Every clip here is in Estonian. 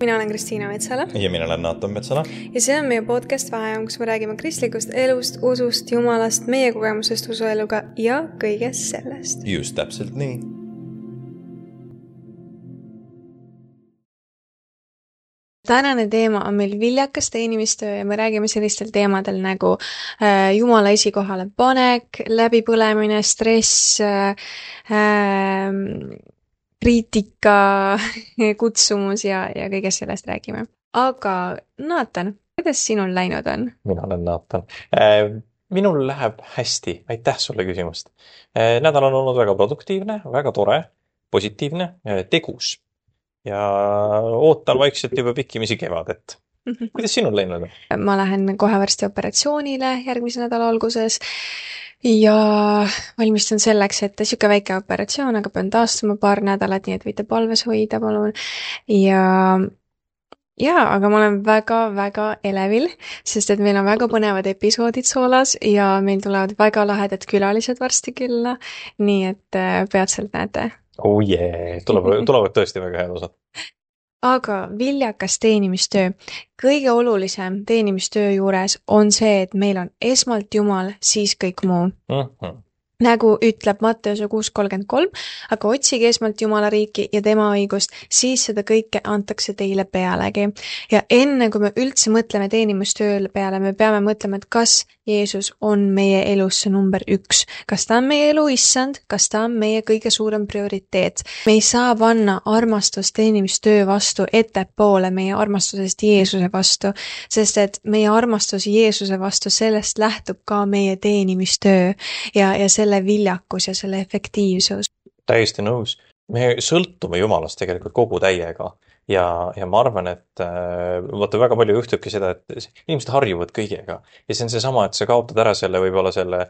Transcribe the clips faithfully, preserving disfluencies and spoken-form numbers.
Mina olen Kristiina Metsala. Ja mina olen Naatan Metsala. Ja see on meie podcast Vaheajam, kus me räägime kristlikust elust, usust, jumalast, meie kogemusest usueluga ja kõigest sellest. Just täpselt nii. Tänane teema on meil viljakas teenimistöö ja me räägime sellistel teemadel nagu äh, Jumala esikohale panek, läbipõlemine, stress, äh, äh, kriitika, kutsumus ja, ja kõigest sellest räägime. Aga Naatan, kuidas sinul läinud on? Mina olen Naatan. Minul läheb hästi. Aitäh sulle küsimust. Nädal on olnud väga produktiivne, väga tore, positiivne, tegus. Ja ootan vaikselt juba pikkimisi kevadet. Kuidas sinul läinud on? Ma lähen kohe varsti operatsioonile järgmise nädala alguses. Ja valmistun selleks, et siuke väike operatsioon, aga pean taastuma paar nädalat, nii et võite palves hoida, palun. Ja, ja, aga ma olen väga-väga elevil, sest et meil on väga põnevad episoodid soolas ja meil tulevad väga lahedad külalised varsti külla, nii et peatselt näete. Oh yeah, tulevad, tulevad tõesti väga head osad. Aga viljakas teenimistöö. Kõige olulisem teenimistöö juures on see, et meil on esmalt Jumal, siis kõik muu. Mm-hmm. Nagu ütleb Matteuse kuus kolmkümmend kolm, aga otsige esmalt Jumala riiki ja tema õigust, siis seda kõike antakse teile pealegi. Ja enne kui me üldse mõtleme teenimistööle peale, me peame mõtlema, et kas Jeesus on meie elus see number üks. Kas ta on meie elu issand, kas ta on meie kõige suurem prioriteet. Me ei saa panna armastust teenimistöö vastu ettepoole meie armastusest Jeesuse vastu, sest et meie armastus Jeesuse vastu, sellest lähtub ka meie teenimistöö ja, ja selle viljakus ja selle efektiivsus. Täiesti nõus. Me sõltume Jumalast tegelikult kogu täiega. Ja, ja ma arvan, et äh, vaata väga palju juhtubki seda, et inimesed harjuvad kõigega. Ja see on see sama, et sa kaotad ära selle võib-olla selle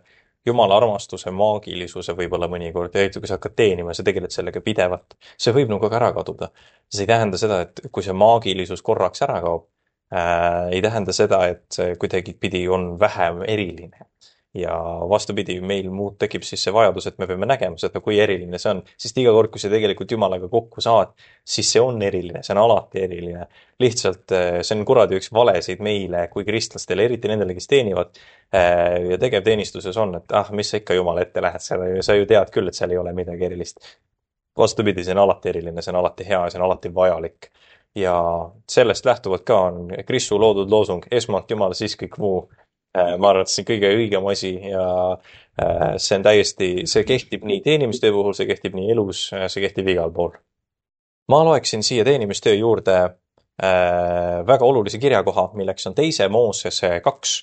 Jumala armastuse, maagilisuse võib-olla mõnikord. Ja kui sa hakkad teenima, sa tegeled sellega pidevalt. See võib nagu ära kaduda. See ei tähenda seda, et kui see maagilisus korraks ära kaob, äh, ei tähenda seda, et see kuidagi pidi on vähem eriline. Ja vastupidi, meil muud tekib siis see vajadus, et me peame nägema seda, kui eriline see on. Sest iga kord, kui sa tegelikult Jumalaga kokku saad, siis see on eriline, see on alati eriline. Lihtsalt see on kuradi üks valesid meile kui kristlastele, eriti nendele, kes teenivad. Ja tegevteenistuses on, et ah, mis sa ikka Jumala ette lähed seal, sa ju tead küll, et seal ei ole midagi erilist. Vastupidi, see on alati eriline, see on alati hea, see on alati vajalik. Ja sellest lähtuvalt ka on Kristu loodud loosung, esmalt Jumal, siis kõik muu. Ma arvan, et see on kõige õigem asi ja see on täiesti, see kehtib nii teenimistöö puhul, see kehtib nii elus, see kehtib igal pool. Ma loeksin siia teenimistöö juurde väga olulise kirjakoha, milleks on teise Moosese kaks,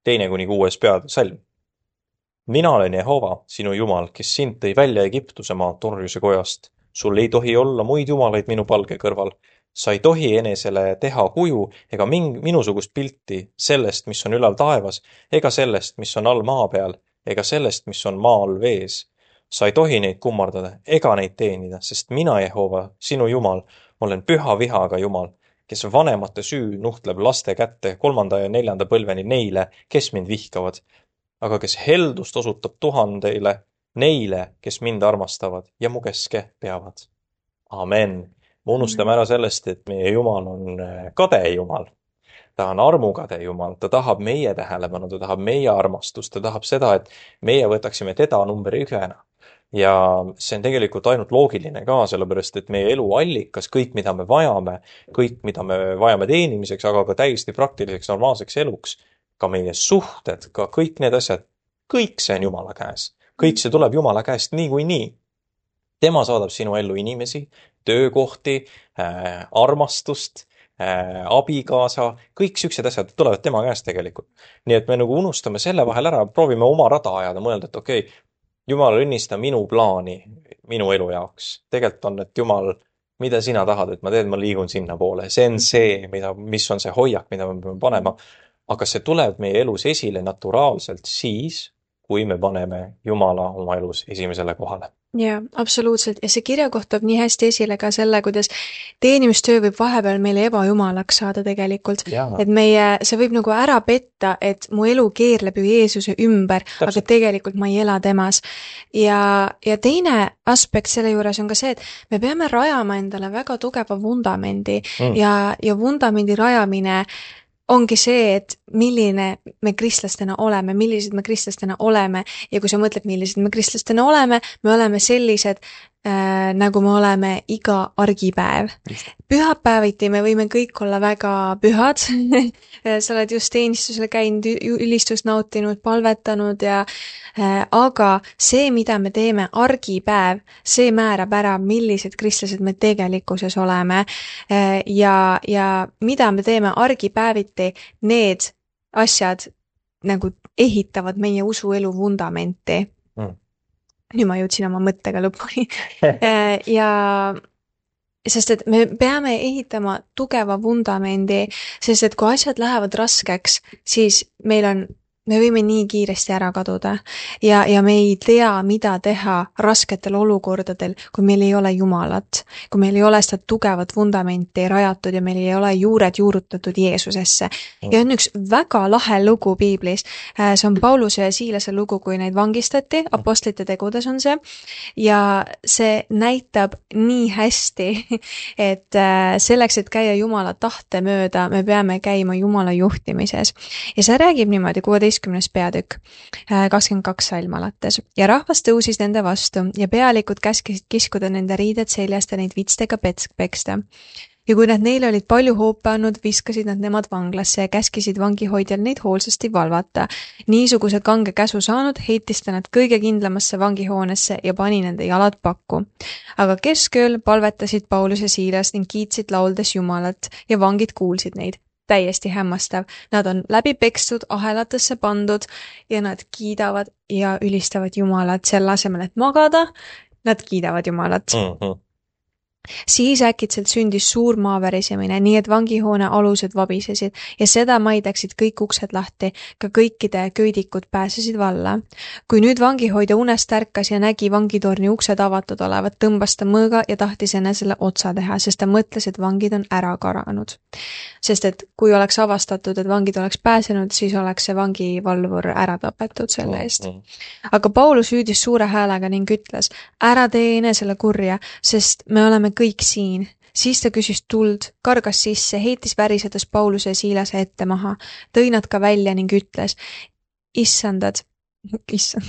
teine kuni kuues peasalm. Mina olen Jehova, sinu Jumal, kes sind tõi välja Egiptuse maa torjuse kojast. Sul ei tohi olla muid jumalaid minu palge kõrval. Sa ei tohi enesele teha kuju ega ming, minusugust pilti sellest, mis on ülal taevas, ega sellest, mis on all maa peal, ega sellest, mis on maa all vees. Sa ei tohi neid kummardada ega neid teenida, sest mina, Jehova, sinu Jumal, olen püha vihaga Jumal, kes vanemate süü nuhtleb laste kätte kolmanda ja neljanda põlveni neile, kes mind vihkavad, aga kes heldust osutab tuhandeile, neile, kes mind armastavad ja mu keske peavad. Amen. Me unustame ära sellest, et meie Jumal on kade Jumal. Ta on armukade Jumal, ta tahab meie tähelepanu, ta tahab meie armastust, ta tahab seda, et meie võtaksime teda number ühena. Ja see on tegelikult ainult loogiline ka, sellepärast, et meie elu allikas, kõik, mida me vajame, kõik, mida me vajame teenimiseks, aga ka täiesti praktiliseks normaalseks eluks, ka meie suhted, ka kõik need asjad, kõik see on Jumala käes. Kõik see tuleb Jumala käest nii kui nii. Tema saadab sinu ellu inimesi, töökohti, äh, armastust, äh, abikaasa, kõik siuksed asjad tulevad tema käest tegelikult. Nii et me nagu unustame selle vahel ära, proovime oma rada ajada, mõelda, et okei, okay, Jumal õnnista minu plaani, minu elu jaoks. Tegelikult on, et Jumal, mida sina tahad, et ma teed, ma liigun sinna poole. See on see, mida, mis on see hoiak, mida me peame panema. Aga see tuleb meie elus esile naturaalselt siis, kui me paneme Jumala oma elus esimesele kohale. Jaa, absoluutselt. Ja see kirjakoht toob nii hästi esile ka selle, kuidas teenimistöö võib vahepeal meile ebajumalaks saada tegelikult. Jaa. Et meie, see võib nagu ära petta, et mu elu keerleb ju Jeesuse ümber, Täpselt. aga tegelikult ma ei ela temas. Ja, ja teine aspekt selle juures on ka see, et me peame rajama endale väga tugeva vundamendi Mm. ja, ja vundamendi rajamine ongi see, et milline me kristlastena oleme, millised me kristlastena oleme ja kui sa mõtled, millised me kristlastena oleme, me oleme sellised, äh, nagu me oleme iga argipäev. Just. Pühapäeviti me võime kõik olla väga pühad. Sa oled just teenistusele käinud, ü- ülistust nautinud, palvetanud ja äh, aga see, mida me teeme argipäev, see määrab ära, millised kristlased me tegelikkuses oleme äh, ja, ja mida me teeme argipäeviti, need asjad nagu ehitavad meie usuelu vundamenti. Mm. Nüüd ma jõudsin oma mõttega lõpuni. Äh, ja sest et me peame ehitama tugeva vundamendi, sest et kui asjad lähevad raskeks, siis meil on, me võime nii kiiresti ära kaduda ja, ja me ei tea, mida teha rasketel olukordadel, kui meil ei ole Jumalat, kui meil ei ole seda tugevat vundamenti rajatud ja meil ei ole juured juurutatud Jeesusesse. Ja on üks väga lahe lugu piiblis. See on Pauluse ja Siilase lugu, kui neid vangistati, apostlite tegudes on see, ja see näitab nii hästi, et selleks, et käia Jumala tahte mööda, me peame käima Jumala juhtimises. Ja see räägib niimoodi, kuueteistkümnes peatükk, kakskümmend kaks salm alates. Ja rahvas tõusis nende vastu ja pealikud käskisid kiskuda nende riided seljast ja neid vitstega pets- peksta. Ja kui nad neile olid palju hoope andnud, viskasid nad nemad vanglasse ja käskisid vangihoidjal neid hoolsasti valvata. Niisuguse kange käsu saanud heitis ta nad kõige kindlamasse vangihoonesse ja pani nende jalad pakku. Aga keskööl palvetasid Paulus ja Siilas ning kiitsid lauldes Jumalat ja vangid kuulsid neid. Täiesti hämmastav. Nad on läbi pekstud, ahelatesse pandud ja nad kiidavad ja ülistavad Jumalat selle asemel, et magada. Nad kiidavad Jumalat. Mm-hmm. Siis äkitselt sündis suur maavärisemine, nii et vangihoone alused vabisesid ja seda maid läksid kõik uksed lahti, ka kõikide köidikud pääsesid valla. Kui nüüd vangihoidja unest ärkas ja nägi vangitorni uksed avatud olevat, tõmbas ta mõõga ja tahtis enesele otsa teha, sest ta mõtles, et vangid on ära karanud. Sest et kui oleks avastatud, et vangid oleks pääsenud, siis oleks see vangivalvur ära tapetud selle eest. Mm-hmm. Aga Paulus hüüdis suure häälega ning ütles, ära tee enesele kurja, sest me oleme kõik siin. Siis ta küsis tuld, kargas sisse, heitis värisedes Pauluse ja Siilase ette maha, tõi nad ka välja ning ütles, issandad, issand,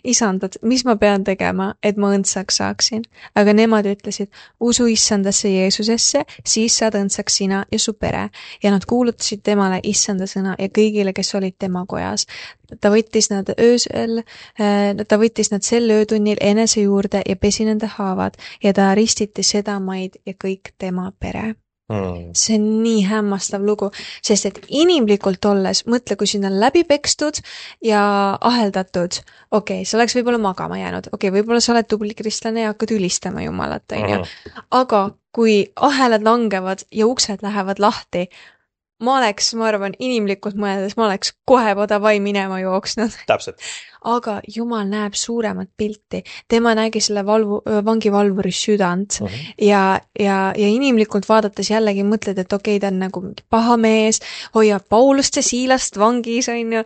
isandad, mis ma pean tegema, et ma õndsaks saaksin? Aga nemad ütlesid, usu issandasse Jeesusesse, siis saad õndsaks sina ja su pere. Ja nad kuulutasid temale issanda sõna ja kõigile, kes olid tema kojas. Ta võttis nad öösel, ta võttis nad sel öötunnil enese juurde ja pesi nende haavad ja ta ristiti seda maid ja kõik tema pere. Mm. See on nii hämmastav lugu, sest et inimlikult olles, mõtle, kui sind on läbi pekstud ja aheldatud, okei, okay, sa oleks võib-olla magama jäänud, okei okay,, võib-olla sa oled tubli kristlane ja hakkad ülistama Jumalat, on ju. Aga kui ahelad langevad ja uksed lähevad lahti, ma oleks, ma arvan, inimlikult mõeldes, ma oleks kohe podavai minema jooksnud. Täpselt. Aga Jumal näeb suuremat pilti. Tema nägi selle valvu, vangivalvuri südant uh -huh. ja, ja, ja inimlikult vaadates jällegi mõtled, et okei, okay, ta on nagu paha mees, hoiab Paulust ja Siilast vangis, on ju.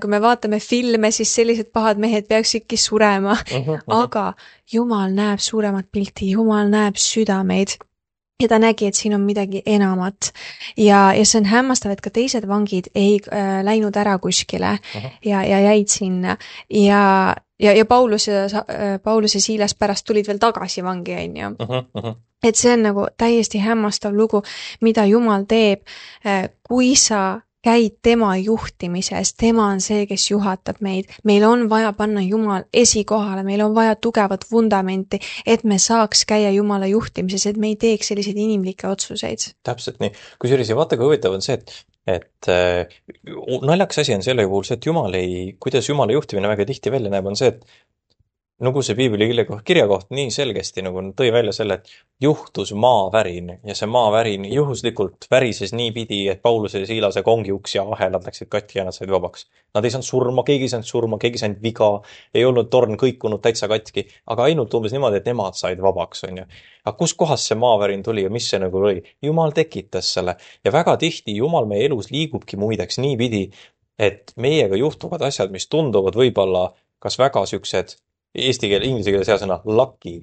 Kui me vaatame filme, siis sellised pahad mehed peaksidki surema. Uh -huh, uh -huh. Aga Jumal näeb suuremat pilti, Jumal näeb südameid. Ja ta nägi, et siin on midagi enamat. Ja, ja see on hämmastav, et ka teised vangid ei äh, läinud ära kuskile uh-huh. ja, ja jäid sinna. Ja, ja, ja Paulus ja, äh, Paulus ja Siilas pärast tulid veel tagasi vangi, on ju. Uh-huh, uh-huh. Et see on nagu täiesti hämmastav lugu, mida Jumal teeb, äh, kui sa käid tema juhtimises, tema on see, kes juhatab meid. Meil on vaja panna Jumal esikohale, meil on vaja tugevat vundamenti, et me saaks käia Jumala juhtimises, et me ei teeks selliseid inimlikke otsuseid. Täpselt nii. Kusjuures ja vaata, kui huvitav on see, et, et äh, naljakas asi on selle puhul see, et Jumal ei, kuidas Jumala juhtimine väga tihti välja näeb, on see, et nagu see piibli kirja- kirjakoht nii selgesti nagu tõi välja selle, et juhtus maavärin ja see maavärin juhuslikult värises niipidi, et Pauluse ja Siilase kongiuks ja ahelad läksid katki ja nad said vabaks. Nad ei saanud surma, keegi ei saanud surma, keegi ei saanud viga, ei olnud torn kõikunud täitsa katki, aga ainult umbes niimoodi, et nemad said vabaks, on ju. Aga kus kohas see maavärin tuli ja mis see nagu oli? Jumal tekitas selle ja väga tihti Jumal meie elus liigubki muideks niipidi, et meiega juhtuvad asjad, mis tunduvad võib-olla kas väga siuksed eesti keel, inglise keeles hea sõna lucky,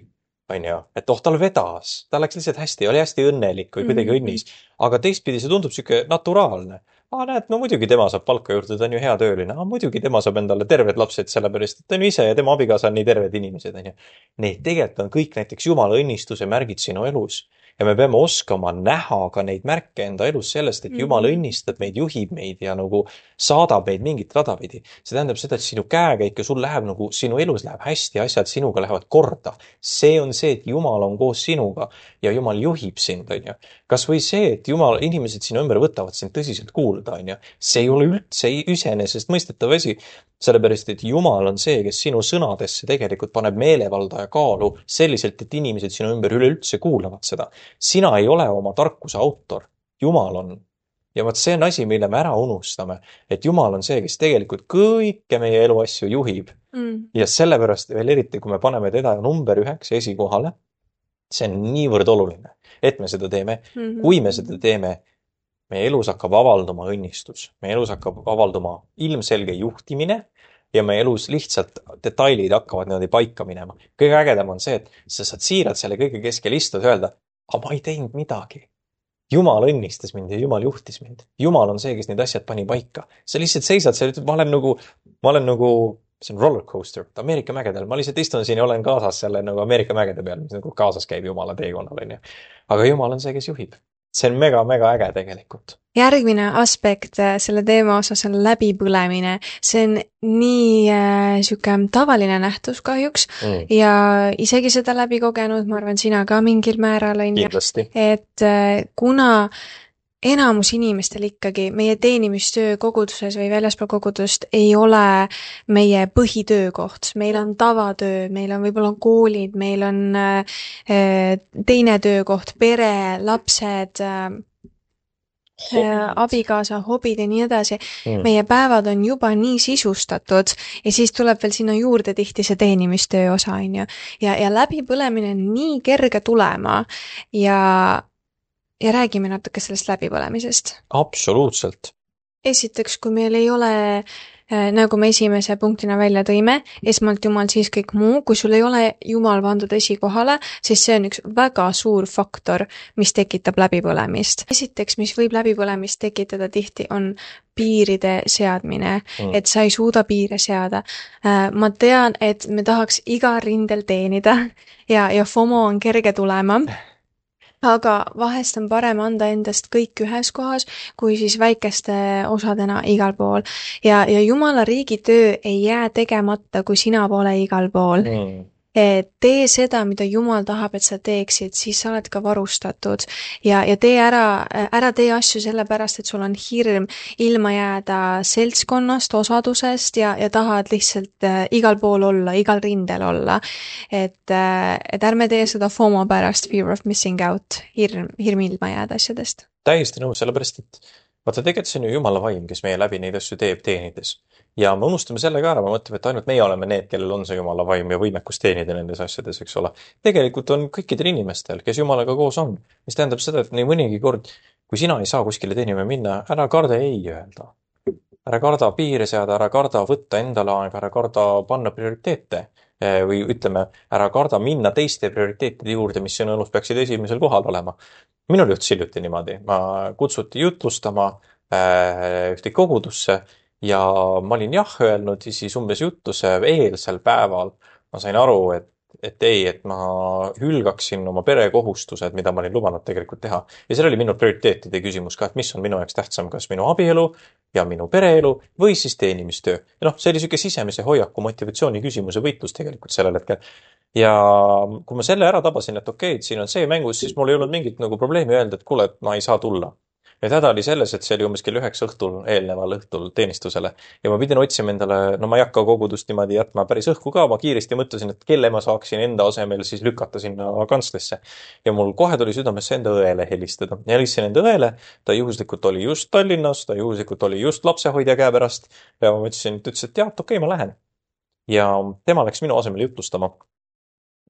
on ju, et oh, tal vedas, ta läks lihtsalt hästi, oli hästi õnnelik või kuidagi Mhm. õnnis, aga teistpidi see tundub siuke naturaalne. Aa, näed, no muidugi tema saab palka juurde, ta on ju hea tööline, aa, muidugi tema saab endale terved lapsed, sellepärast et ta on ju ise ja tema abikaasa on nii terved inimesed, on ju. Need tegelikult on kõik näiteks Jumala õnnistuse märgid sinu elus. Ja me peame oskama näha ka neid märke enda elus sellest, et Jumal õnnistab meid, juhib meid ja nagu saadab meid mingit rada pidi. See tähendab seda, et sinu käekäik ja sul läheb nagu, sinu elus läheb hästi, asjad sinuga lähevad korda. See on see, et Jumal on koos sinuga ja Jumal juhib sind, on ju. Kas või see, et Jumal, inimesed sinu ümber võtavad sind tõsiselt kuulda, on ju. See ei ole üldse iseenesest mõistetav asi, sellepärast, et Jumal on see, kes sinu sõnadesse tegelikult paneb meelevalda ja kaalu selliselt, et inimesed sinu ümber üleüldse kuulavad seda. Sina ei ole oma tarkuse autor, Jumal on. Ja vot see on asi, mille me ära unustame, et Jumal on see, kes tegelikult kõike meie eluasju juhib. Mm. Ja sellepärast veel eriti, kui me paneme teda number üheks esikohale, see on niivõrd oluline, et me seda teeme. Mhm. Kui me seda teeme, meie elus hakkab avalduma õnnistus, meie elus hakkab avalduma ilmselge juhtimine ja meie elus lihtsalt detailid hakkavad niimoodi paika minema. Kõige ägedam on see, et sa saad siirad selle kõige keskel istuda ja öelda, aga ma ei teinud midagi. Jumal õnnistas mind ja Jumal juhtis mind. Jumal on see, kes need asjad pani paika. Sa lihtsalt seisad seal, ma olen nagu, ma olen nagu, see on rollercoaster, Ameerika mägedel. Ma lihtsalt istun siin ja olen kaasas selle nagu Ameerika mägede peal, mis nagu kaasas käib Jumala teekonnal, on ju. Aga Jumal on see, kes juhib. See on mega, mega äge tegelikult. Järgmine aspekt selle teema osas on läbipõlemine. See on nii äh, siuke tavaline nähtus kahjuks Mm. ja isegi seda läbi kogenud, ma arvan, sina ka mingil määral on ju, Kindlasti. et äh, kuna enamus inimestel ikkagi meie teenimistöö koguduses või väljaspool kogudust ei ole meie põhitöökoht. Meil on tavatöö, meil on võib-olla koolid, meil on äh, teine töökoht, pere, lapsed, äh, äh, abikaasa, hobid ja nii edasi. Mm. Meie päevad on juba nii sisustatud ja siis tuleb veel sinna juurde tihti see teenimistöö osa, on ju. Ja, ja läbipõlemine on nii kerge tulema ja Ja räägime natuke sellest läbipõlemisest. Absoluutselt. Esiteks, kui meil ei ole, äh, nagu me esimese punktina välja tõime, esmalt Jumal, siis kõik muu, kui sul ei ole Jumal pandud esikohale, siis see on üks väga suur faktor, mis tekitab läbipõlemist. Esiteks, mis võib läbipõlemist tekitada tihti, on piiride seadmine, Mm. et sa ei suuda piire seada. Äh, Ma tean, et me tahaks iga rindel teenida ja, ja FOMO on kerge tulema. Aga vahest on parem anda endast kõik ühes kohas, kui siis väikeste osadena igal pool. Ja, ja Jumala riigi töö ei jää tegemata, kui sina pole igal pool. Mm. Tee seda, mida Jumal tahab, et sa teeksid, siis sa oled ka varustatud. Ja, ja tee ära, ära tee asju sellepärast, et sul on hirm ilma jääda seltskonnast, osadusest ja, ja tahad lihtsalt äh, igal pool olla, igal rindel olla. Et, äh, et ärme tee seda FOMO pärast, fear of missing out, hirm, hirm ilma jääda asjadest. Täiesti nõus, sellepärast, et vaata, tegelikult see on ju Jumala vaim, kes meie läbi neid asju teeb teenides. Ja me unustame selle ka ära, me mõtleme, et ainult meie oleme need, kellel on see Jumala vaim ja võimekus teenida nendes asjades, eks ole. Tegelikult on kõikidel inimestel, kes Jumalaga koos on, mis tähendab seda, et nii mõnigi kord, kui sina ei saa kuskile teenima minna, ära karda ei öelda. Ära karda piire seada, ära karda võtta endale aega, ära karda panna prioriteete. Või ütleme, ära karda minna teiste prioriteetide juurde, mis sinu elus peaksid esimesel kohal olema. Minul juhtus hiljuti niimoodi. Ma kutsuti jutlustama äh, ühte kogudusse ja ma olin jah öelnud ja siis umbes jutluse eelsel päeval ma sain aru, et, et ei, et ma hülgaksin oma perekohustused, mida ma olin lubanud tegelikult teha. Ja seal oli minu prioriteetide küsimus ka, et mis on minu jaoks tähtsam, kas minu abielu ja minu pereelu või siis teenimistöö. Ja noh, see oli siuke sisemise hoiaku motivatsiooni küsimuse võitlus tegelikult sellel hetkel. Ja kui ma selle ära tabasin, et okei, et siin on see mängus, siis mul ei olnud mingit nagu probleemi öelda, et kuule, et ma ei saa tulla. ja häda oli selles, et see oli umbes kell üheksa õhtul, eelneval õhtul teenistusele ja ma pidin otsima endale, no ma ei hakka kogudust niimoodi jätma päris õhku ka, ma kiiresti mõtlesin, et kelle ma saaksin enda asemel siis lükata sinna kantslisse. Ja mul kohe tuli südamesse enda õele helistada. Ja helistasin enda õele, ta juhuslikult oli just Tallinnas, ta juhuslikult oli just lapsehoidja käe pärast ja ma mõtlesin, et ütles, et jah, okei, ma lähen. Ja tema läks minu asemel jutlustama.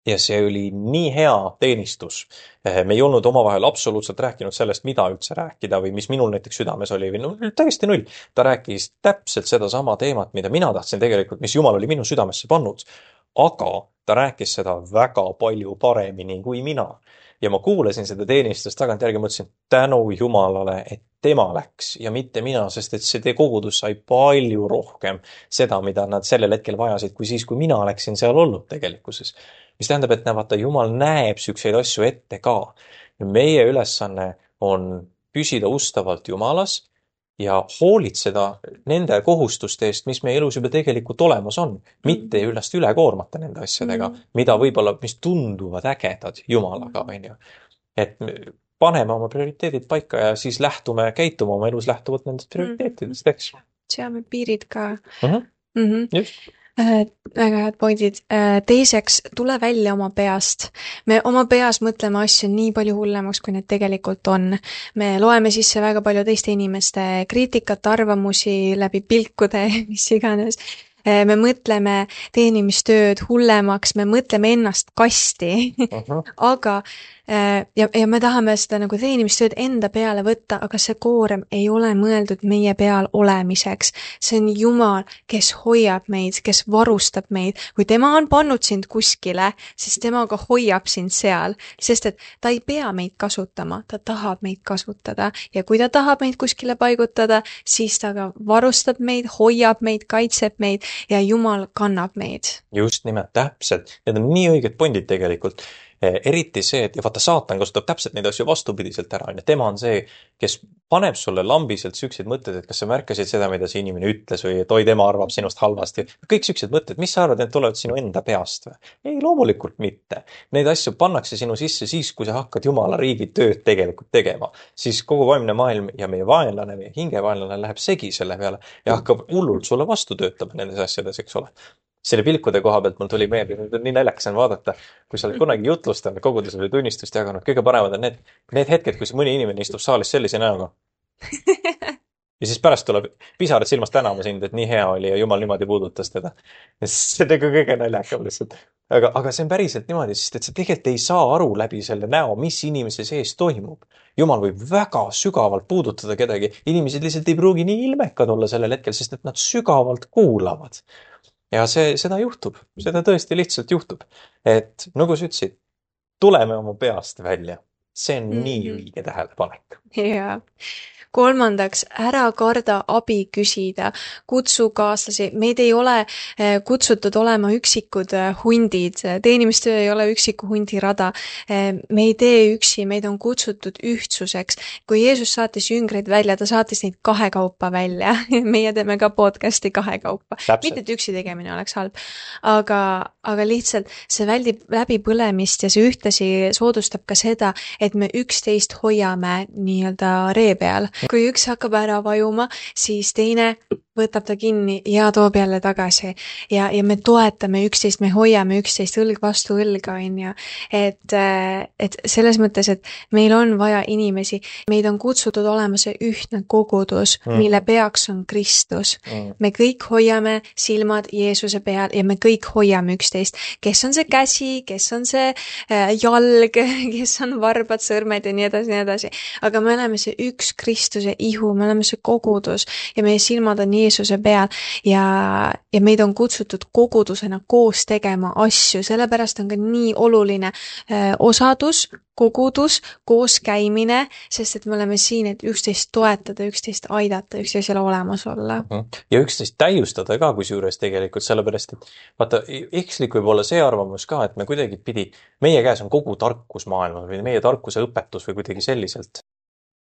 Ja see oli nii hea teenistus. Me ei olnud omavahel absoluutselt rääkinud sellest, mida üldse rääkida või mis minul näiteks südames oli või no, täiesti null. Ta rääkis täpselt seda sama teemat, mida mina tahtsin tegelikult, mis Jumal oli minu südamesse pannud. Aga ta rääkis seda väga palju paremini kui mina. Ja ma kuulasin seda teenistust tagantjärgi, mõtlesin tänu Jumalale, et tema läks ja mitte mina, sest et see kogudus sai palju rohkem seda, mida nad sellel hetkel vajasid, kui siis, kui mina läksin seal olnud tegelikkuses. Mis tähendab, et vaata, Jumal näeb sükseid asju ette ka. Meie ülesanne on püsida ustavalt Jumalas ja hoolitseda nende kohustuste eest, mis meie elus juba tegelikult olemas on. Mitte ülest üle koormata nende asjadega, mida võib-olla, mis tunduvad ägedad Jumalaga. Et paneme oma prioriteedid paika ja siis lähtume, käitume oma elus lähtuvalt nendest prioriteetidest, eks. Seame piirid ka. Uh-huh. Mm-hmm. Just. Äh, väga head pointid. Äh, teiseks, tule välja oma peast. Me oma peas mõtleme asju nii palju hullemaks, kui need tegelikult on. Me loeme sisse väga palju teiste inimeste kriitikat, arvamusi läbi pilkude, mis iganes. Äh, me mõtleme teenimistööd hullemaks, me mõtleme ennast kasti, uh-huh. aga ja, ja me tahame seda nagu teenimistööd enda peale võtta, aga see koorem ei ole mõeldud meie peal olemiseks. See on Jumal, kes hoiab meid, kes varustab meid. Kui tema on pannud sind kuskile, siis tema ka hoiab sind seal, sest et ta ei pea meid kasutama, ta tahab meid kasutada ja kui ta tahab meid kuskile paigutada, siis ta ka varustab meid, hoiab meid, kaitseb meid ja Jumal kannab meid. Just nimelt, täpselt. Need on nii õiged pondid tegelikult. Eriti see, et ja vaata saatan kasutab täpselt neid asju vastupidiselt ära. Ja tema on see, kes paneb sulle lambiselt sükseid mõtted, et kas sa märkasid seda, mida see inimene ütles või et oi, tema arvab sinust halvasti. Kõik süksed mõtted, mis sa arvad, et tulevad sinu enda peast või? Ei, loomulikult mitte. Neid asju pannakse sinu sisse siis, kui sa hakkad Jumala riigi tööd tegelikult tegema. Siis kogu vaimne maailm ja meie vaenlane, meie hingevaenlane läheb segi selle peale ja hakkab hullult sulle vastu töötama nendes asjades, eks ole. Selle pilkude koha pealt mul tuli meelde, nüüd on nii naljakas on vaadata, kui sa oled kunagi jutlustanud, kogudusel või tunnistust jaganud, kõige paremad on need, need hetked, kus mõni inimene istub saalis sellise näoga. Ja siis pärast tuleb pisarad silmast tänama sind, et nii hea oli ja Jumal niimoodi puudutas teda. See on nagu kõige naljakam lihtsalt. Aga, aga see on päriselt niimoodi, sest et sa tegelikult ei saa aru läbi selle näo, mis inimese sees toimub. Jumal võib väga sügavalt puudutada kedagi. Inimesed lihtsalt ei pruugi nii ilmekad olla sellel hetkel, sest et nad sügavalt kuulavad. Ja see, seda juhtub, seda tõesti lihtsalt juhtub, et nagu sa ütlesid, tuleme oma peast välja, see on mm-hmm. nii õige tähelepanek. Jaa. Kolmandaks, ära karda abi küsida, kutsu kaaslasi. Meid ei ole kutsutud olema üksikud hundid, teenimistöö ei ole üksiku hundi rada. Me ei tee üksi, meid on kutsutud ühtsuseks. Kui Jeesus saatis jüngreid välja, ta saatis neid kahekaupa välja. Meie teeme ka podcasti kahekaupa. Mitte et üksi tegemine oleks halb, aga, aga lihtsalt see väldib läbi põlemist ja see ühtlasi soodustab ka seda, et me üksteist hoiame nii-öelda ree peal. Kui üks hakkab ära vajuma, siis teine võtab ta kinni ja toob jälle tagasi. Ja, ja me toetame üksteist, me hoiame üksteist õlg vastu õlga, on ju. Et, et selles mõttes, et meil on vaja inimesi. Meid on kutsutud olema see ühtne kogudus, mm. mille peaks on Kristus. Mm. Me kõik hoiame silmad Jeesuse peal ja me kõik hoiame üksteist. Kes on see käsi, kes on see jalg, kes on varbad, sõrmed ja nii edasi, nii edasi. Aga me oleme see üks Kristuse ihu, me oleme see kogudus ja meie silmad on Jeesuse peal ja, ja meid on kutsutud kogudusena koos tegema asju, sellepärast on ka nii oluline äh, osadus, kogudus, koos käimine, sest et me oleme siin, et üksteist toetada, üksteist aidata, üksteisele olemas olla. Ja üksteist täiustada ka kusjuures tegelikult, sellepärast, et vaata, ekslik võib olla see arvamus ka, et me kuidagi pidi, meie käes on kogu tarkus maailmas või meie tarkuse õpetus või kuidagi selliselt.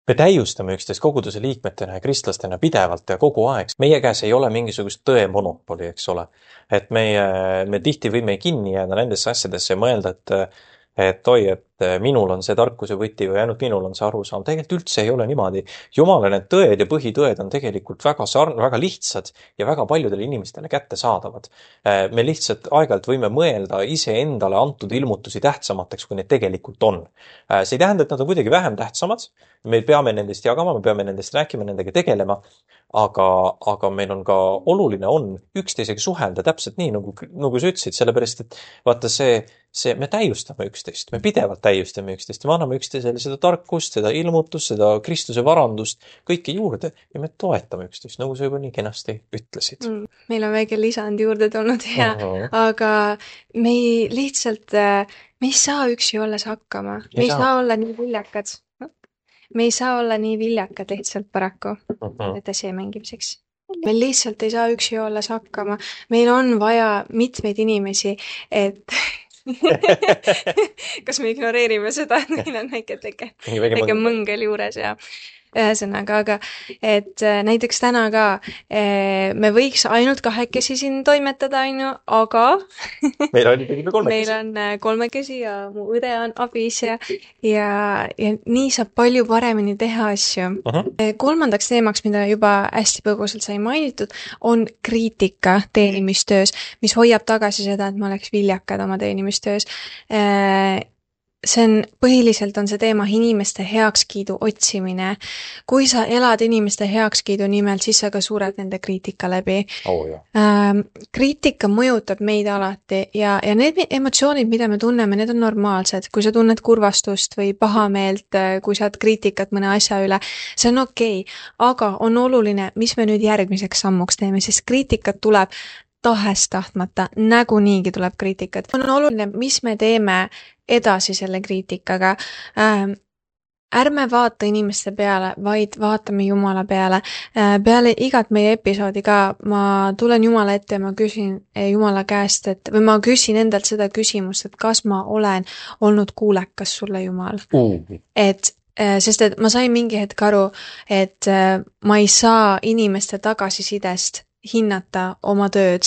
Me täiustame üksteist koguduse liikmetena ja kristlastena pidevalt ja kogu aeg. Meie käes ei ole mingisugust tõe monopoli, eks ole. Et meie, me tihti võime kinni jääda nendesse asjadesse ja mõelda, et et oi, et minul on see tarkuse võti või ainult minul on see arusaam. Tegelikult üldse ei ole niimoodi. Jumala need tõed ja põhitõed on tegelikult väga sarn-, väga lihtsad ja väga paljudele inimestele kätte saadavad. Me lihtsalt aeg-ajalt võime mõelda iseendale antud ilmutusi tähtsamateks, kui need tegelikult on. See ei tähenda, et nad on kuidagi vähem tähtsamad. Me peame nendest jagama, me peame nendest rääkima, nendega tegelema, aga, aga meil on ka oluline on üksteisega suhelda täpselt nii, nagu, nagu sa ütlesid, sellepärast, et vaata see, see, me täiustame üksteist, me pidevalt täiustame üksteist ja me anname üksteisele seda tarkust, seda ilmutust, seda Kristuse varandust, kõike juurde ja me toetame üksteist, nagu sa juba nii kenasti ütlesid. Mm, meil on väike lisand juurde tulnud ja uh -huh. aga me ei lihtsalt, me ei saa üksi olles hakkama, me ei saa, saa olla nii viljakad. Me ei saa olla nii viljakad lihtsalt paraku, uh -huh. et see mängimiseks. Meil lihtsalt ei saa üksi olles hakkama. Meil on vaja mitmeid inimesi, et kas me ignoreerime seda, et meil on väike teke, väike mõngel juures ja ühesõnaga, aga et näiteks täna ka me võiks ainult kahekesi siin toimetada, ainu, aga meil on ikkagi kolmekesi. Meil on kolmekesi ja mu õde on abis ja, ja, ja nii saab palju paremini teha asju. Uh -huh. Kolmandaks teemaks, mida juba hästi põgusalt sai mainitud, on kriitika teenimistöös, mis hoiab tagasi seda, et ma oleks viljakad oma teenimistöös. See on, põhiliselt on see teema inimeste heakskiidu otsimine. Kui sa elad inimeste heakskiidu nimel, siis sa ka sured nende kriitika läbi. Oh, jah. Ähm, kriitika mõjutab meid alati ja, ja need emotsioonid, mida me tunneme, need on normaalsed. Kui sa tunned kurvastust või pahameelt, kui saad kriitikat mõne asja üle, see on okei. Aga on oluline, mis me nüüd järgmiseks sammuks teeme, sest kriitikat tuleb tahest tahtmata, näguniigi tuleb kriitikat. On oluline, mis me teeme edasi selle kriitikaga. Ähm, ärme vaata inimeste peale, vaid vaatame Jumala peale. Äh, peale igat meie episoodi ka ma tulen Jumala ette ja ma küsin Jumala käest, et, või ma küsin endalt seda küsimust, et kas ma olen olnud kuulekas sulle, Jumal. Uh. Et sest et ma sain mingi hetk aru, et ma ei saa inimeste tagasisidest hinnata oma tööd.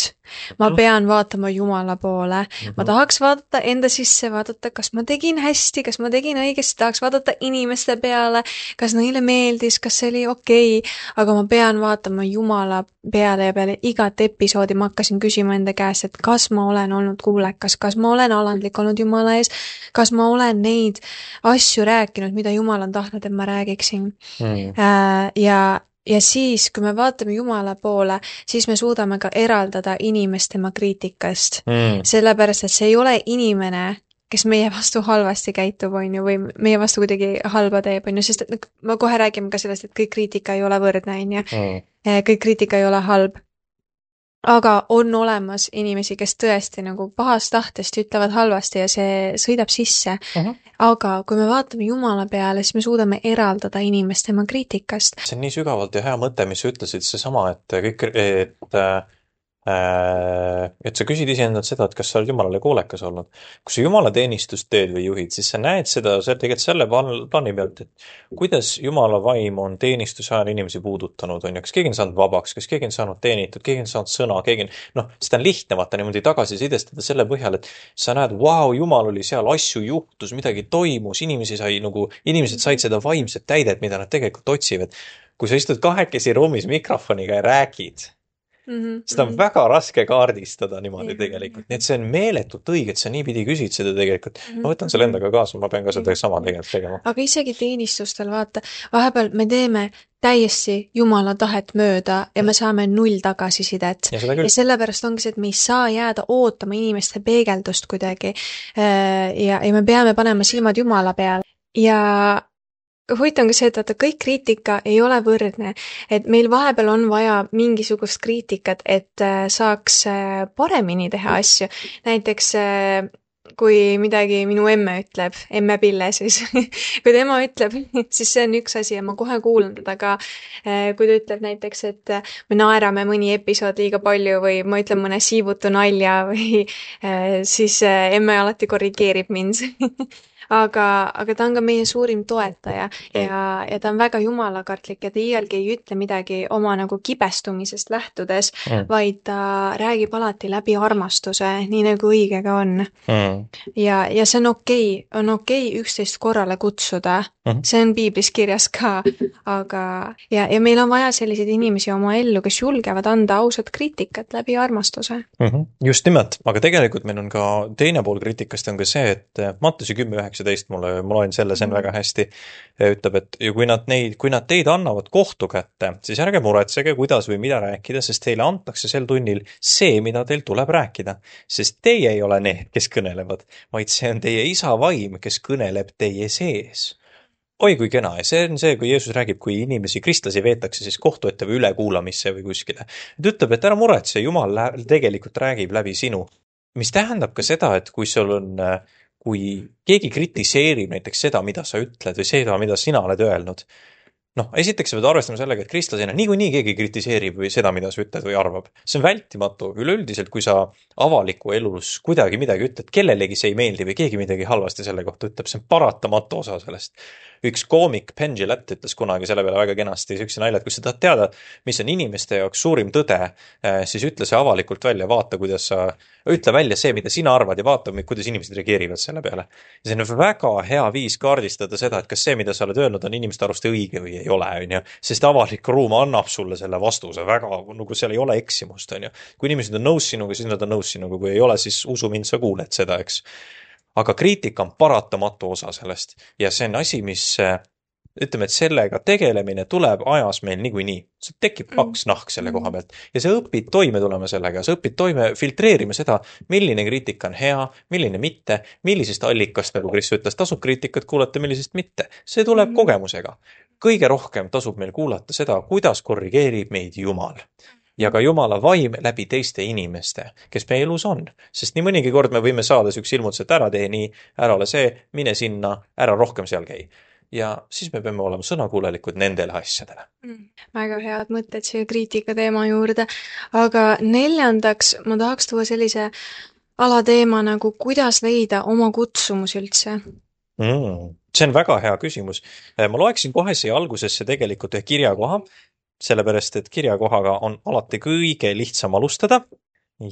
Ma pean vaatama Jumala poole. Ma tahaks vaadata enda sisse, vaadata, kas ma tegin hästi, kas ma tegin õigesti, tahaks vaadata inimeste peale, kas neile meeldis, kas see oli okei, aga ma pean vaatama Jumala peale ja peale igat episoodi ma hakkasin küsima enda käest, et kas ma olen olnud kuulekas, kas ma olen alandlik olnud Jumala ees, kas ma olen neid asju rääkinud, mida Jumal on tahtnud, et ma räägiksin. Mm. Ja Ja siis, kui me vaatame Jumala poole, siis me suudame ka eraldada inimest tema kriitikast. Mm. Sellepärast, et see ei ole inimene, kes meie vastu halvasti käitub, on ju, või meie vastu kuidagi halba teeb, on ju, sest et ma kohe räägime ka sellest, et kõik kriitika ei ole võrdne, on ju. Mm. Kõik kriitika ei ole halb. Aga on olemas inimesi, kes tõesti nagu pahast tahtest ütlevad halvasti ja see sõidab sisse. Uh-huh. Aga kui me vaatame Jumala peale, siis me suudame eraldada inimest tema kriitikast. See on nii sügavalt ja hea mõte, mis sa ütlesid, see sama, et kõik, et, äh, et sa küsid iseendalt seda, et kas sa oled Jumalale kuulekas olnud. Kui sa Jumala teenistust teed või juhid, siis sa näed seda see, tegelikult selle plaani pealt, et kuidas Jumala vaim on teenistuse ajal inimesi puudutanud, on ju, kas keegi on saanud vabaks, kas keegi on saanud teenitud, keegi on saanud sõna, keegi on, noh, seda on lihtne vaata niimoodi tagasi sidestada selle põhjal, et sa näed, vau, Jumal oli seal, asju juhtus, midagi toimus, inimesi sai nagu, inimesed said seda vaimset täidet, mida nad tegelikult otsivad. Kui sa istud kahekesi ruumis mikrofoniga ja räägid, Mm-hmm. seda on väga raske kaardistada niimoodi mm-hmm. tegelikult. Nii et see on meeletult õige, et sa nii pidi küsid seda tegelikult. Mm-hmm. Ma võtan selle endaga kaasa, ma pean ka seda sama tegelikult tegema. Aga isegi teenistustel, vaata, vahepeal me teeme täiesti Jumala tahet mööda ja me saame null tagasisidet. Ja, ja sellepärast ongi see, et me ei saa jääda ootama inimeste peegeldust kuidagi ja, ja me peame panema silmad Jumala peale. Ja huvitav on ka see, et vaata, kõik kriitika ei ole võrdne, et meil vahepeal on vaja mingisugust kriitikat, et saaks paremini teha asju. Näiteks kui midagi minu emme ütleb, emme Pille siis, kui tema ütleb, siis see on üks asi ja ma kohe kuulan teda ka, kui ta ütleb näiteks, et me naerame mõni episood liiga palju või ma ütlen mõne siivutu nalja või siis emme alati korrigeerib mind. aga, aga ta on ka meie suurim toetaja ja, ja ta on väga jumalakartlik ja ta iialgi ei ütle midagi oma nagu kibestumisest lähtudes, mm. vaid ta räägib alati läbi armastuse, nii nagu õige ka on. Mm. ja, ja see on okei okay,, on okei okay üksteist korrale kutsuda, mm. see on piiblis kirjas ka, aga ja, ja meil on vaja selliseid inimesi oma ellu, kes julgevad anda ausat kriitikat läbi armastuse. Mm -hmm. Just nimelt, aga tegelikult meil on ka teine pool kriitikast on ka see, et Mattuse kümme üheksateist, mulle, ma loen selle, see on väga hästi, ütleb, et ja kui nad neid, kui nad teid annavad kohtu kätte, siis ärge muretsege, kuidas või mida rääkida, sest teile antakse sel tunnil see, mida teil tuleb rääkida. Sest teie ei ole need, kes kõnelevad, vaid see on teie isa vaim, kes kõneleb teie sees. Oi kui kena, ja see on see, kui Jeesus räägib, kui inimesi, kristlasi veetakse siis kohtu ette või ülekuulamisse või kuskile. Ta ütleb, et ära muretse, Jumal tegelikult räägib läbi sinu. Mis tähendab ka seda, et kui sul on, kui keegi kritiseerib näiteks seda, mida sa ütled või seda, mida sina oled öelnud, noh, esiteks sa pead arvestama sellega, et kristlasena niikuinii keegi kritiseerib või seda, mida sa ütled või arvab. See on vältimatu. Üleüldiselt, kui sa avaliku elus kuidagi midagi ütled, kellelegi see ei meeldi või keegi midagi halvasti selle kohta ütleb, see on paratamatu osa sellest. Üks koomik Penn Jillette ütles kunagi selle peale väga kenasti sükse nalja, et kui sa tahad teada, mis on inimeste jaoks suurim tõde, siis ütle see avalikult välja, vaata, kuidas sa, ütle välja see, mida sina arvad ja vaata, kuidas inimesed reageerivad selle peale. Ja see on väga hea viis kaardistada seda, et kas see, mida sa oled öelnud, on inimeste arust õige või ei ole, on ju. Sest avalik ruum annab sulle selle vastuse väga, nagu seal ei ole eksimust, on ju. Kui inimesed on nõus sinuga, siis nad on nõus sinuga, kui ei ole, siis usu mind, sa kuuled seda, eks. Aga kriitika on paratamatu osa sellest ja see on asi, mis ütleme, et sellega tegelemine tuleb ajas meil niikuinii. See tekib paks nahk selle koha pealt ja sa õpid toime tulema sellega, sa õpid toime filtreerima seda, milline kriitika on hea, milline mitte, millisest allikast, nagu Kris ütles, tasub kriitikat kuulata, millisest mitte. See tuleb kogemusega. Kõige rohkem tasub meil kuulata seda, kuidas korrigeerib meid Jumal. Ja ka Jumala vaim läbi teiste inimeste, kes meie elus on. Sest nii mõnigi kord me võime saada üks ilmutus, et ära tee nii, ära ole see, mine sinna, ära rohkem seal käi. Ja siis me peame olema sõnakuulelikud nendele asjadele. Mm, väga head mõtted siia kriitika teema juurde. Aga neljandaks ma tahaks tuua sellise alateema nagu, kuidas leida oma kutsumus üldse? Mm, see on väga hea küsimus. Ma loeksin kohe siia algusesse tegelikult ühe kirjakoha, sellepärast, et kirjakohaga on alati kõige lihtsam alustada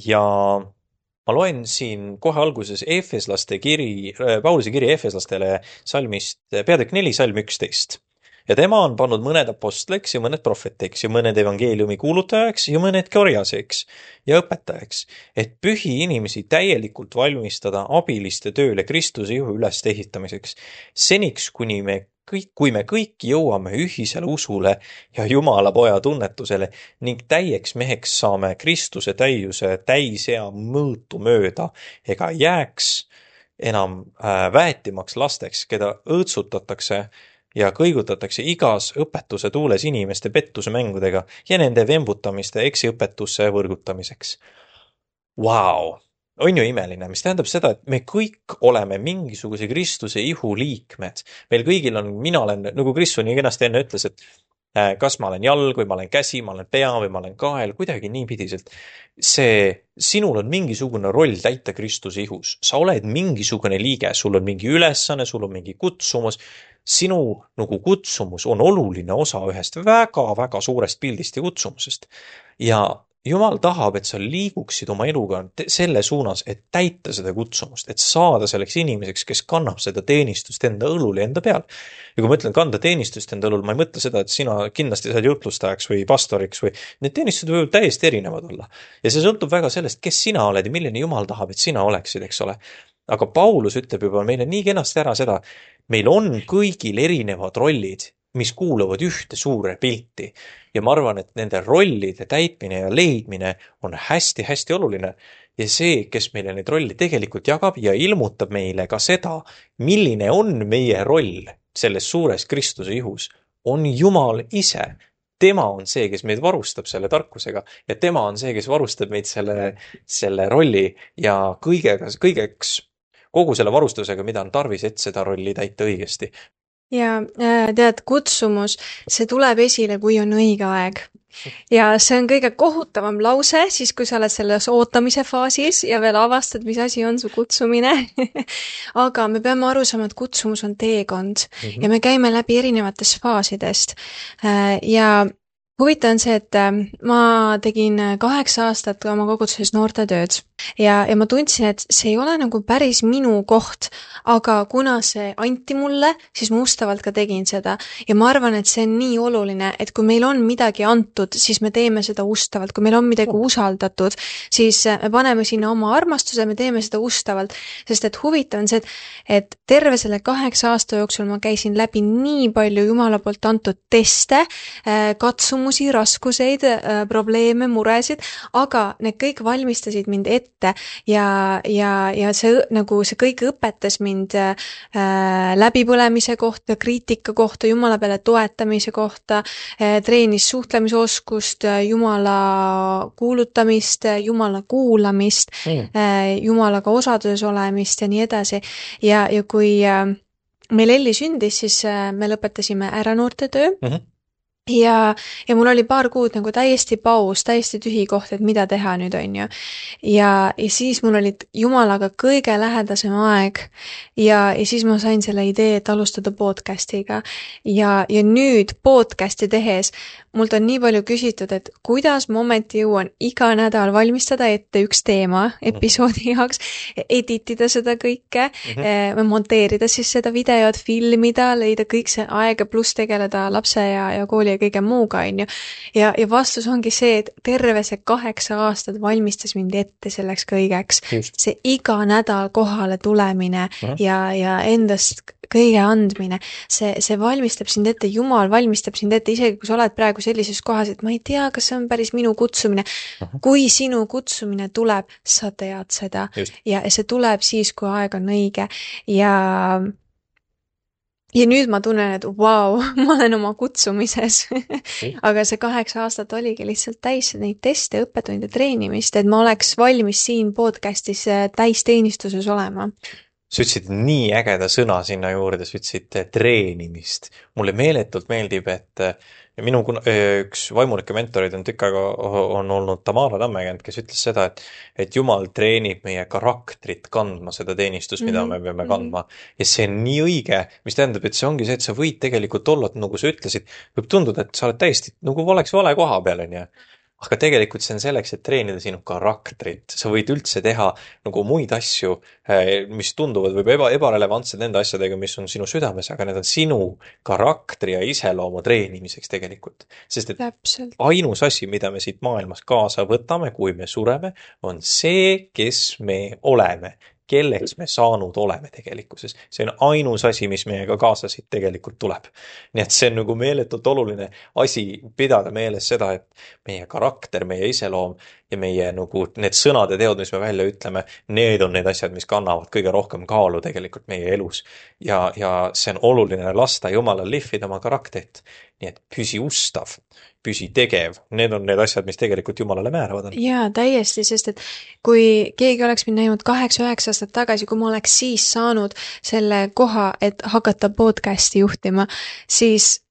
ja ma loen siin kohe alguses Efeslaste kiri, Pauluse kiri Efeslastele salmist, peatükk neli, salm üksteist. Ja tema on pannud mõned apostliks ja mõned prohvetiks ja mõned evangeeliumi kuulutajaks ja mõned korjaseks ja õpetajaks, et pühi inimesi täielikult valmistada abiliste tööle Kristuse juhu üles ehitamiseks, seniks kuni me kõik, kui me kõik jõuame ühisele usule ja Jumala poja tunnetusele ning täieks meheks saame Kristuse täiuse täisea mõõtu mööda ega jääks enam väetimaks lasteks, keda õõtsutatakse ja kõigutatakse igas õpetuse tuules inimeste pettuse mängudega ja nende vembutamiste eksiõpetusse võrgutamiseks. Vau! On ju imeline, mis tähendab seda, et me kõik oleme mingisuguse Kristuse ihu liikmed. Meil kõigil on, mina olen, nagu Kristus nii kenasti enne ütles, et kas ma olen jalg või ma olen käsi, ma olen pea või ma olen kael, kuidagi niipidiselt. See, sinul on mingisugune roll täita Kristuse ihus. Sa oled mingisugune liige, sul on mingi ülesanne, sul on mingi kutsumus. Sinu nagu kutsumus on oluline osa ühest väga-väga suurest pildist ja kutsumusest. Ja Jumal tahab, et sa liiguksid oma eluga selle suunas, et täita seda kutsumust, et saada selleks inimeseks, kes kannab seda teenistust enda õlul ja enda peal. Ja kui ma ütlen kanda teenistust enda õlul, ma ei mõtle seda, et sina kindlasti saad jutlustajaks või pastoriks või need teenistused võivad täiesti erinevad olla. Ja see sõltub väga sellest, kes sina oled ja milline Jumal tahab, et sina oleksid, eks ole. Aga Paulus ütleb juba meile nii kenasti ära seda, meil on kõigil erinevad rollid, mis kuuluvad ühte suure pilti. Ja ma arvan, et nende rollide täitmine ja leidmine on hästi-hästi oluline. Ja see, kes meile neid rolli tegelikult jagab ja ilmutab meile ka seda, milline on meie roll selles suures Kristuse ihus, on Jumal ise. Tema on see, kes meid varustab selle tarkusega ja tema on see, kes varustab meid selle, selle rolli ja kõigega, kõigeks kogu selle varustusega, mida on tarvis, et seda rolli täita õigesti. ja äh, tead, kutsumus, see tuleb esile, kui on õige aeg. Ja see on kõige kohutavam lause, siis kui sa oled selles ootamise faasis ja veel avastad, mis asi on su kutsumine. Aga me peame aru saama, et kutsumus on teekond mm. -hmm. ja me käime läbi erinevatest faasidest. Ja huvitav on see, et ma tegin kaheksa aastat oma koguduses noortetööd ja, ja ma tundsin, et see ei ole nagu päris minu koht, aga kuna see anti mulle, siis ma ustavalt ka tegin seda. Ja ma arvan, et see on nii oluline, et kui meil on midagi antud, siis me teeme seda ustavalt. Kui meil on midagi usaldatud, siis me paneme sinna oma armastuse, me teeme seda ustavalt. Sest et huvitav on see, et, et terve selle kaheksa aasta jooksul ma käisin läbi nii palju Jumala poolt antud teste, katsumusi, raskuseid, probleeme, muresid, aga need kõik valmistasid mind ette ja, ja, ja see, nagu see kõik õpetas mind äh, läbipõlemise kohta, kriitika kohta, Jumala peale toetamise kohta, äh, treenis suhtlemisoskust, Jumala kuulutamist, Jumala kuulamist, mm. äh, Jumalaga osaduses olemist ja nii edasi. Ja, ja kui äh, meil Elli sündis, siis äh, me lõpetasime ära noortetöö. Mm-hmm. Ja, ja mul oli paar kuud nagu täiesti paus, täiesti tühi koht, et mida teha nüüd on ju. Ja, ja siis mul oli Jumalaga kõige lähedasem aeg ja, ja siis ma sain selle idee, et alustada podcastiga. Ja, ja nüüd podcasti tehes mult on nii palju küsitud, et kuidas ma ometi jõuan iga nädal valmistada ette üks teema episoodi jaoks, editida seda kõike, mm-hmm. monteerida siis seda videot, filmida, leida kõik see aega pluss tegeleda lapse ja, ja kooli ja kõige muuga, on ju. Ja, ja vastus ongi see, et terve see kaheksa aastat valmistas mind ette selleks kõigeks. Just. See iga nädal kohale tulemine uh-huh. ja, ja endast kõige andmine, see, see valmistab sind ette, Jumal valmistab sind ette, isegi kui sa oled praegu sellises kohas, et ma ei tea, kas see on päris minu kutsumine. Uh-huh. Kui sinu kutsumine tuleb, sa tead seda. Just. Ja see tuleb siis, kui aeg on õige ja Ja nüüd ma tunnen, et vau, wow, ma olen oma kutsumises. Aga see kaheksa aastat oligi lihtsalt täis neid teste, õppetunde, treenimist, et ma oleks valmis siin podcastis täisteenistuses olema. Sa ütlesid nii ägeda sõna sinna juurde, sa ütlesid treenimist. Mulle meeletult meeldib, et minu üks vaimulike mentorid on tükk aega on olnud Tamara Tammekend, kes ütles seda, et, et Jumal treenib meie karaktrit kandma seda teenistust, mida mm-hmm. me peame kandma. Ja see on nii õige, mis tähendab, et see ongi see, et sa võid tegelikult olla, nagu sa ütlesid, võib tunduda, et sa oled täiesti nagu oleks vale koha peal, on ju. Aga tegelikult see on selleks, et treenida sinu karaktrit. Sa võid üldse teha nagu muid asju, mis tunduvad või eba, ebarelevantsed nende asjadega, mis on sinu südames, aga need on sinu karaktri ja iseloomu treenimiseks tegelikult. Sest et Täpselt. Ainus asi, mida me siit maailmas kaasa võtame, kui me sureme, on see, kes me oleme. Kelleks me saanud oleme tegelikkuses. See on ainus asi, mis meiega kaasa siit tegelikult tuleb. Nii et see on nagu meeletult oluline asi pidada meeles seda, et meie karakter, meie iseloom ja meie nagu need sõnad ja teod, mis me välja ütleme, need on need asjad, mis kannavad kõige rohkem kaalu tegelikult meie elus. Ja, ja see on oluline lasta Jumalal lihvida oma karakterit. Nii et püsi ustav, püsi tegev. Need on need asjad, mis tegelikult Jumalale määravad on. Jaa, täiesti, sest et kui keegi oleks mind näinud kaheksa üheksa aastat tagasi, kui ma oleks siis saanud selle koha, et hakata podcasti juhtima, siis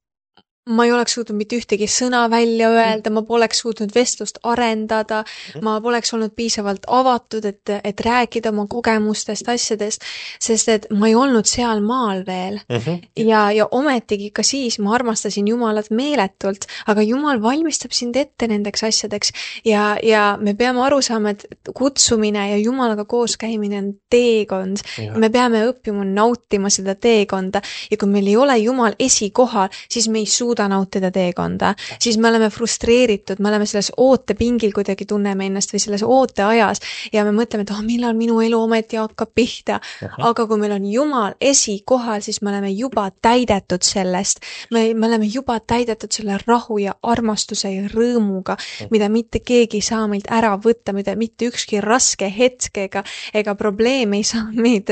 ma ei oleks suutnud mitte ühtegi sõna välja öelda, ma poleks suutnud vestlust arendada, ma poleks olnud piisavalt avatud, et, et rääkida oma kogemustest, asjadest, sest et ma ei olnud seal maal veel. Mm-hmm. Ja, ja ometigi ka siis ma armastasin Jumalat meeletult, aga Jumal valmistab sind ette nendeks asjadeks ja, ja me peame aru saama, et kutsumine ja Jumalaga koos käimine on teekond. Ja. Me peame õppima nautima seda teekonda ja kui meil ei ole Jumal esikohal, siis me ei suuda nautida teekonda, siis me oleme frustreeritud, me oleme selles ootepingil kuidagi tunneme ennast või selles ooteajas ja me mõtleme, et oh, millal minu elu ometi hakkab pihta. Aha. Aga kui meil on Jumal esikohal, siis me oleme juba täidetud sellest. Me, me oleme juba täidetud selle rahu ja armastuse ja rõõmuga, Aha. mida mitte keegi ei saa meilt ära võtta, mida mitte ükski raske hetk ega, ega probleem ei saa meid,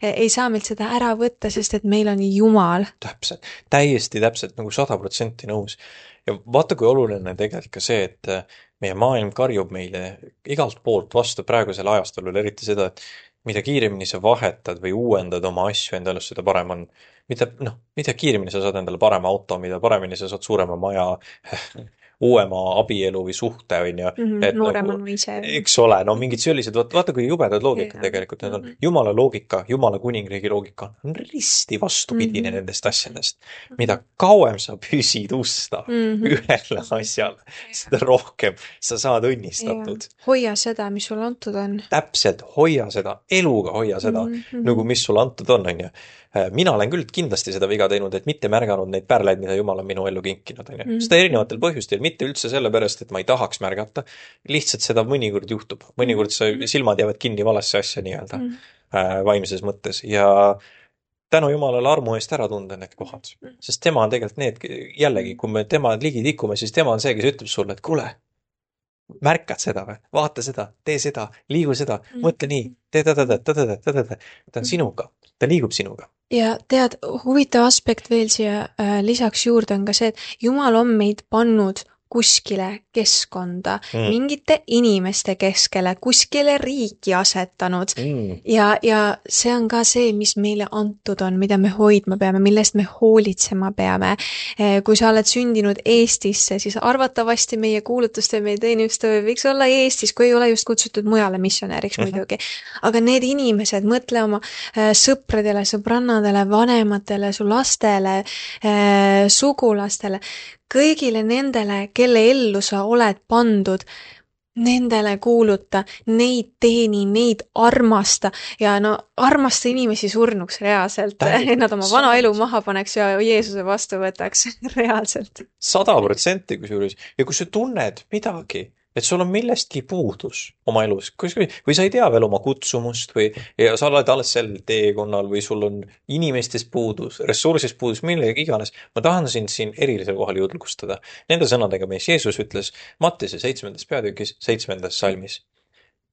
ei saa meilt seda ära võtta, sest et meil on Jumal. Täpselt, täiesti täpselt nagu sada protsenti nõus. Ja vaata, kui oluline tegelikult ka see, et meie maailm karjub meile igalt poolt vastu praegusel ajastul, eriti seda, et mida kiiremini sa vahetad või uuendad oma asju endale, seda parem on. Mida, noh, mida kiiremini sa saad endale parema auto, mida paremini sa saad suurema maja, uuema abielu või suhte, on ju. Mm -hmm, noorem on või ise. Eks ole, no mingid sellised, vaata, vaata kui jubedad loogikad yeah. tegelikult, need on mm -hmm. Jumala loogika, Jumala kuningriigi loogika on risti vastupidine mm -hmm. nendest asjadest. Mida kauem sa püsid usta mm -hmm. ühele asjale, seda rohkem sa saad õnnistatud. Yeah. Hoia seda, mis sul antud on. Täpselt, hoia seda, eluga hoia seda, mm -hmm. nagu mis sul antud on, on ju. Mina olen küll kindlasti seda viga teinud, et mitte märganud neid pärleid, mida Jumal on minu ellu kinkinud, on ju. Mm -hmm. Seda erinevatel põhjustel, mitte üldse sellepärast, et ma ei tahaks märgata, lihtsalt seda mõnikord juhtub. Mõnikord sa silmad jäävad kinni valesse asja nii-öelda mm -hmm. vaimses mõttes ja tänu Jumalale armu eest ära tunda need kohad. Sest tema on tegelikult need, jällegi, kui me tema ligi tikume, siis tema on see, kes ütleb sulle, et kuule, märkad seda või, vaata seda, tee seda, liigu seda, mõtle nii, tee ta-ta-ta-ta-ta-ta-ta-ta, ta on sinuga, ta liigub sinuga. Ja tead, huvitav aspekt veel siia äh, lisaks juurde on ka see, et Jumal on meid pannud kuskile keskkonda, mm. mingite inimeste keskele, kuskile riiki asetanud mm. ja, ja see on ka see, mis meile antud on, mida me hoidma peame, millest me hoolitsema peame. Kui sa oled sündinud Eestisse, siis arvatavasti meie kuulutuste, meie teenistöö võiks olla Eestis, kui ei ole just kutsutud mujale missionäriks mm-hmm. muidugi. Aga need inimesed, mõtle oma sõpradele, sõbrannadele, vanematele, su lastele, sugulastele, kõigile nendele, kelle ellu sa oled pandud, nendele kuuluta, neid teeni, neid armasta ja no armasta inimesi surnuks reaalselt. Nad oma vana elu maha paneks ja Jeesuse vastu võtaks reaalselt. Sada protsenti kusjuures. Ja kui sa tunned midagi, et sul on millestki puudus oma elus, või sa ei tea veel oma kutsumust või ja sa oled alles sel teekonnal või sul on inimestest puudus, ressursist puudus, millega iganes. Ma tahan sind siin erilisel kohal julgustada. Nende sõnadega, mis Jeesus ütles Mattuse seitsmendas peatükis, seitsmendas salmis.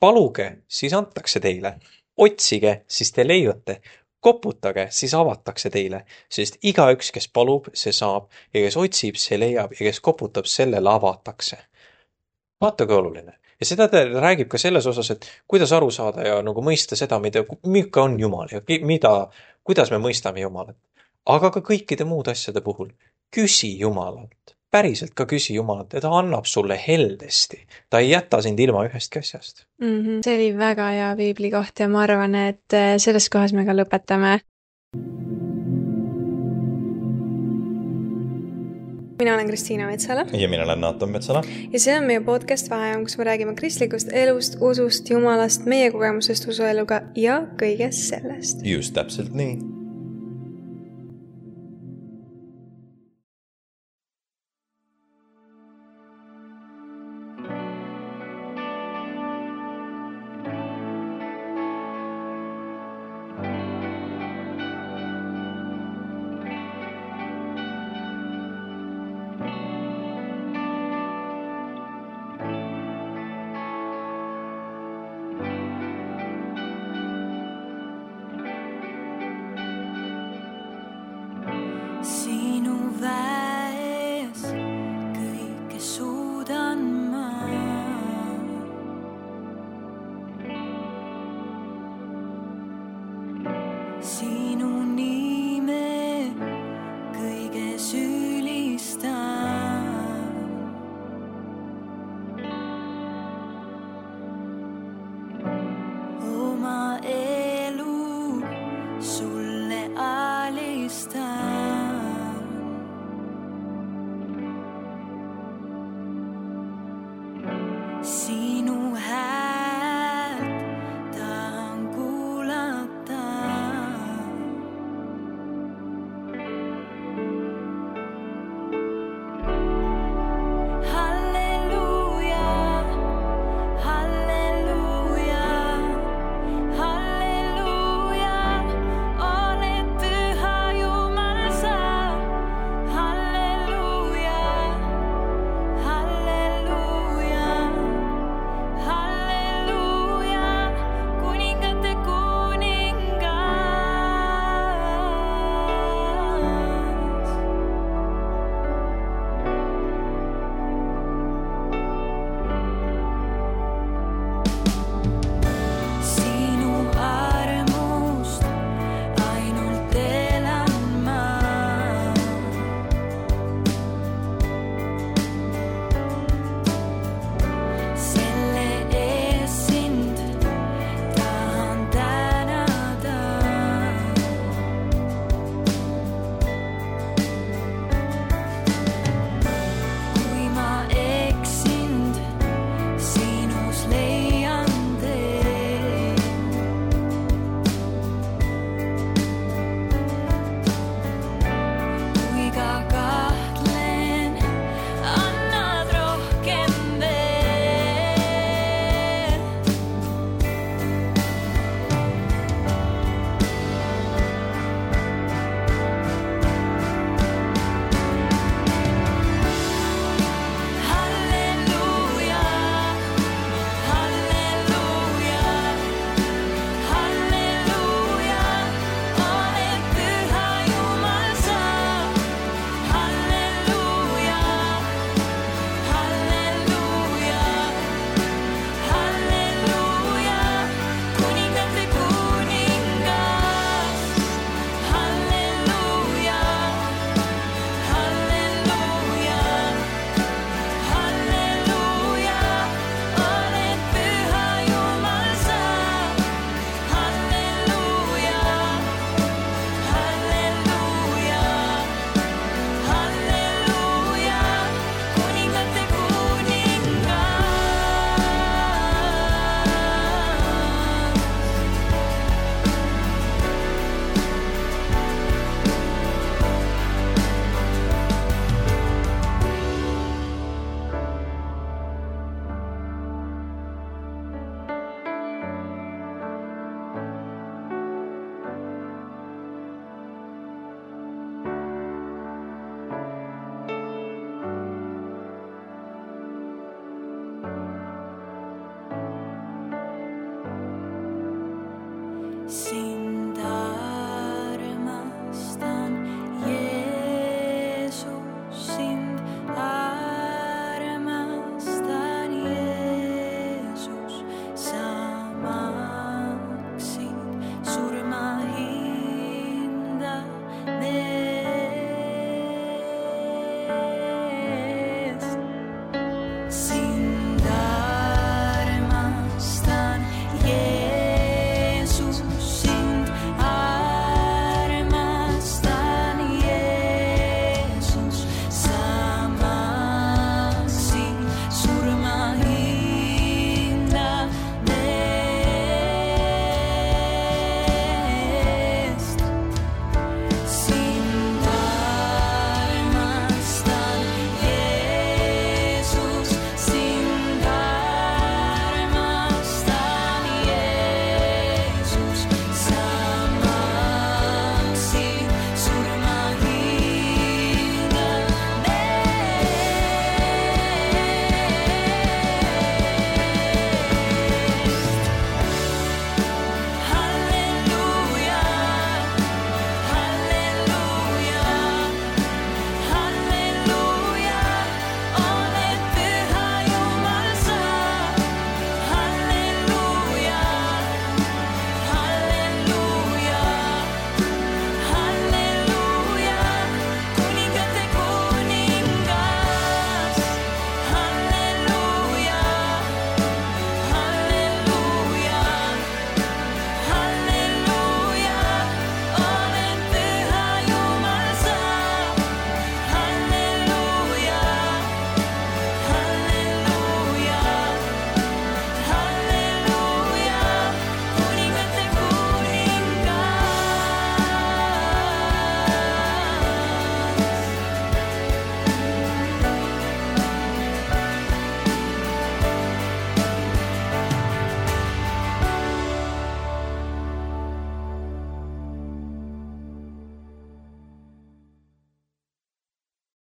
Paluge, siis antakse teile. Otsige, siis te leiate. Koputage, siis avatakse teile, sest igaüks, kes palub, see saab ja kes otsib, see leiab ja kes koputab, sellele avatakse. Vaata kui oluline. Ja seda ta räägib ka selles osas, et kuidas aru saada ja nagu mõista seda, mida, milline on Jumal ja mida, kuidas me mõistame Jumalat. Aga ka kõikide muud asjade puhul. Küsi Jumalalt. Päriselt ka küsi Jumalalt ja ta annab sulle heldesti. Ta ei jäta sind ilma ühest asjast. Mm-hmm. See oli väga hea piibli koht ja ma arvan, et selles kohas me ka lõpetame. Mina olen Kristiina Metsala. Ja mina olen Naatan Metsala. Ja see on meie podcast Vaheajam, kus me räägime kristlikust elust, usust, Jumalast, meie kogemusest usueluga ja kõigest sellest. Just täpselt nii. See